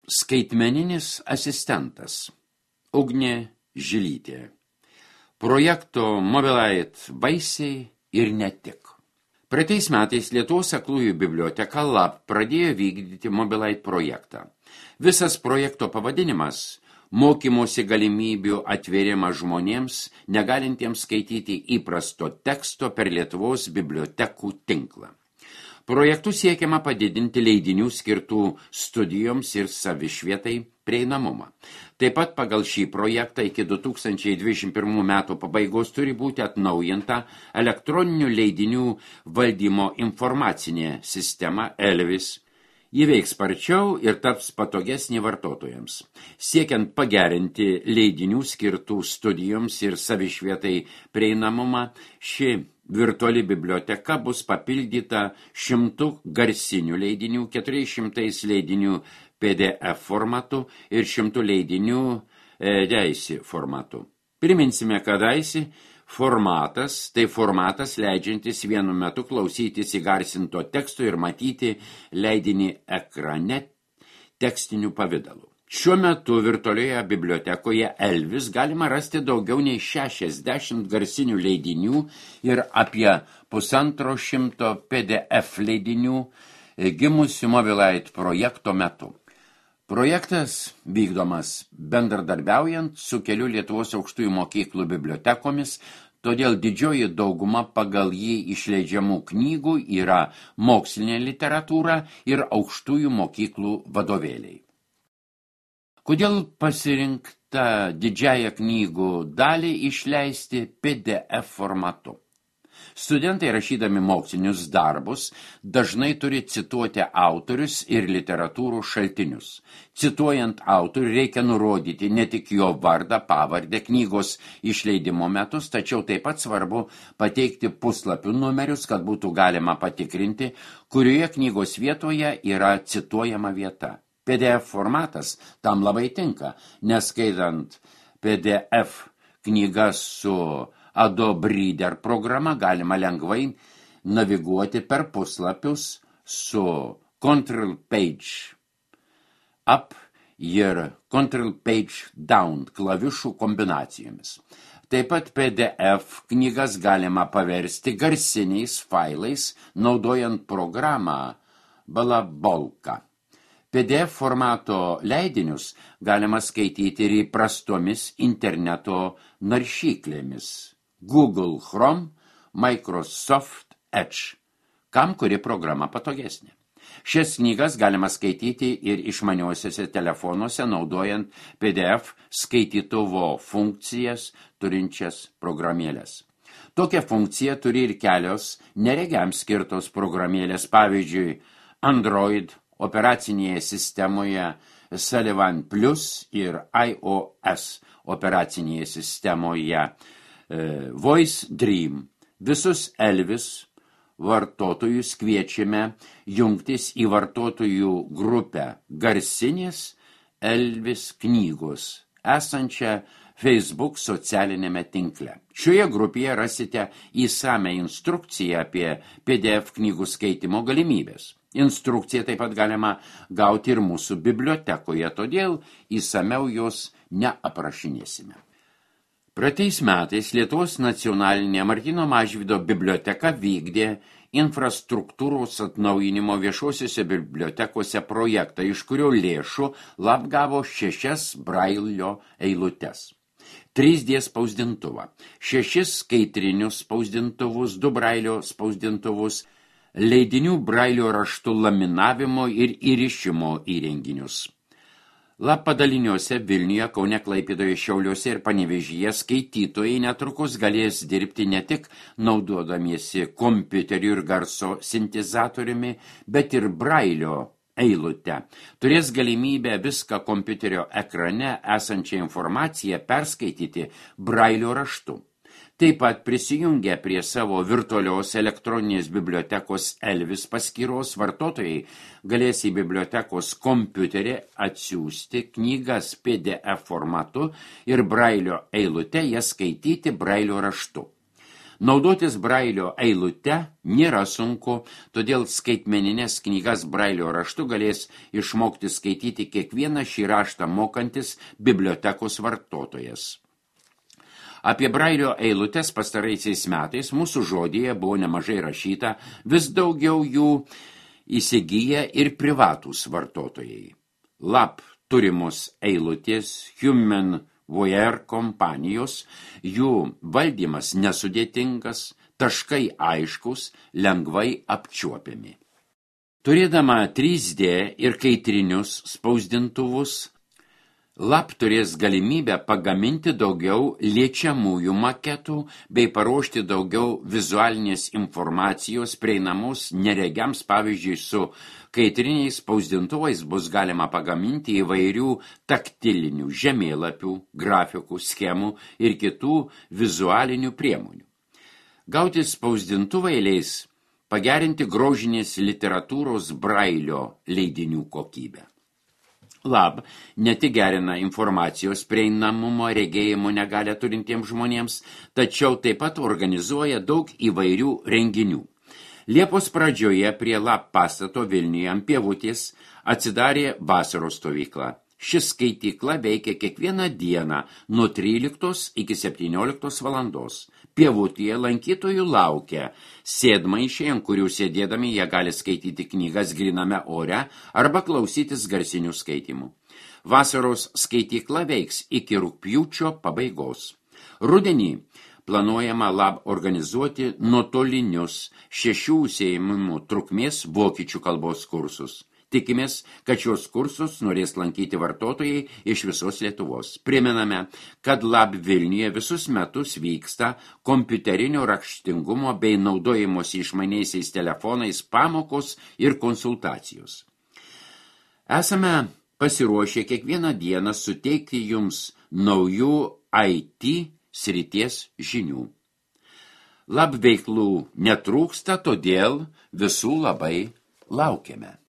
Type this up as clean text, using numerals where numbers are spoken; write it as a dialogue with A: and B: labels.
A: Skaitmeninis asistentas Ugnė Žilytė. Projekto Mobilite vaisiai ir ne tik. Praeitais metais Lietuvos aklųjų biblioteka LAB pradėjo vykdyti Mobilite projektą. Visas projekto pavadinimas – mokymosi galimybių atvėrimas žmonėms, negalintiems skaityti įprasto teksto per Lietuvos bibliotekų tinklą. Projektu siekiama padidinti leidinių skirtų studijoms ir savišvietai prieinamumą. Taip pat pagal šį projektą iki 2021 metų pabaigos turi būti atnaujinta elektroninių leidinių valdymo informacinė sistema ELVIS. Ji veiks sparčiau ir taps patogesnė vartotojams. Siekiant pagerinti leidinių skirtų studijoms ir savišvietai prieinamumą, ši virtuali biblioteka bus papildyta 100 garsinių leidinių, 400 leidinių PDF formatu ir 100 leidinių DAISY formatu. Priminsime, kad DAISY formatas, tai formatas leidžiantis vienu metu klausytis įgarsinto teksto ir matyti leidinį ekrane tekstiniu pavidalu. Šiuo metu virtualioje bibliotekoje ELVIS galima rasti daugiau nei 60 garsinių leidinių ir apie 150 PDF leidinių gimusių Mobilite projekto metu. Projektas vykdomas bendradarbiaujant su kelių Lietuvos aukštųjų mokyklų bibliotekomis, todėl didžioji dauguma pagal jį išleidžiamų knygų yra mokslinė literatūra ir aukštųjų mokyklų vadovėliai. Kodėl pasirinkta didžiąją knygų dalį išleisti PDF formatu? Studentai rašydami mokslinius darbus dažnai turi cituoti autorius ir literatūrų šaltinius. Cituojant autorių reikia nurodyti ne tik jo vardą, pavardę, knygos išleidimo metus, tačiau taip pat svarbu pateikti puslapių numerius, kad būtų galima patikrinti, kurioje knygos vietoje yra cituojama vieta. PDF formatas tam labai tinka, neskaitant PDF knygas su Adobe Reader programa galima lengvai naviguoti per puslapius su Control Page Up ir Control Page Down klavišų kombinacijomis. Taip pat PDF knygas galima paversti garsiniais failais, naudojant programą Balabolka. PDF formato leidinius galima skaityti ir įprastomis interneto naršyklėmis Google Chrome, Microsoft Edge, kam kuri programa patogesnė. Šias knygas galima skaityti ir išmaniuosiuose telefonuose, naudojant PDF skaitytuvo funkcijas turinčias programėlės. Tokią funkciją turi ir kelios neregiams skirtos programėlės, pavyzdžiui, Android operacinėje sistemoje Sullivan Plus ir iOS operacinėje sistemoje Voice Dream. Visus ELVIS vartotojus kviečiame jungtis į vartotojų grupę Garsinės ELVIS knygos, esančią Facebook socialinėme tinkle. Šioje grupėje rasite įsamią instrukciją apie PDF knygų skaitimo galimybės. Instrukciją taip pat galima gauti ir mūsų bibliotekoje, todėl įsamiau jos neaprašinėsime. Praeitais metais Lietuvos nacionalinė Martyno Mažvydo biblioteka vykdė infrastruktūros atnaujinimo viešosiuose bibliotekose projektą, iš kurio lėšų LAB gavo 6 brailio eilutes, 3D spausdintuvą, 6 skaitrinius spausdintuvus, 2 brailio spausdintuvus, leidinių brailio raštų laminavimo ir įrišimo įrenginius. LAB padaliniuose Vilniuje, Kaune, Klaipėdoje, Šiauliuose ir Panevėžyje skaitytojai netrukus galės dirbti ne tik naudodamiesi kompiuteriu ir garso sintezatoriumi, bet ir brailio eilute. Turės galimybę viską kompiuterio ekrane esančią informaciją perskaityti brailio raštu. Taip pat prisijungę prie savo virtualios elektroninės bibliotekos ELVIS paskyros vartotojai galės į bibliotekos kompiuterį atsiųsti knygas PDF formatu ir brailio eilute jas skaityti brailio raštu. Naudotis brailio eilute nėra sunku, todėl skaitmeninės knygas brailio raštu galės išmokti skaityti kiekvieną šį raštą mokantis bibliotekos vartotojas. Apie brailio eilutes pastaraisiais metais mūsų žodyje buvo nemažai rašyta, vis daugiau jų įsigyja ir privatūs vartotojai. Lab turimos eilutės Human Voyeur kompanijos, jų valdymas nesudėtingas, taškai aiškus, lengvai apčiuopiami. Turėdama 3D ir kaitrinius spausdintuvus, Lab turės galimybę pagaminti daugiau liečiamųjų maketų bei paruošti daugiau vizualinės informacijos prieinamos neregiams, pavyzdžiui, su kaitriniais spausdintuvais bus galima pagaminti įvairių taktilinių žemėlapių, grafikų, schemų ir kitų vizualinių priemonių. Gauti spausdintuvai leis pagerinti grožinės literatūros brailio leidinių kokybę. Lab ne tik gerina informacijos prieinamumo regėjimo negalią turintiems žmonėms, tačiau taip pat organizuoja daug įvairių renginių. Liepos pradžioje prie Lab pastato Vilniuje ant Pievutės atsidarė vasaros stovykla. Ši skaitykla veikia kiekvieną dieną nuo 13 iki 17 valandos. Pievutėje lankytojų laukia sėdmaišiai, ant kurių sėdėdami jie gali skaityti knygas gryname ore arba klausytis garsinių skaitimų. Vasaros skaitykla veiks iki rugpjūčio pabaigos. Rudenį planuojama Lab organizuoti nuotolinius 6 užsiėmimų trukmės vokiečių kalbos kursus. Tikimės, kad šios kursus norės lankyti vartotojai iš visos Lietuvos. Primename, kad Lab Vilniuje visus metus vyksta kompiuterinio raštingumo bei naudojimosi išmaniaisiais telefonais pamokos ir konsultacijos. Esame pasiruošę kiekvieną dieną suteikti jums naujų IT srities žinių. Lab veiklų netrūksta, todėl visų labai laukiame.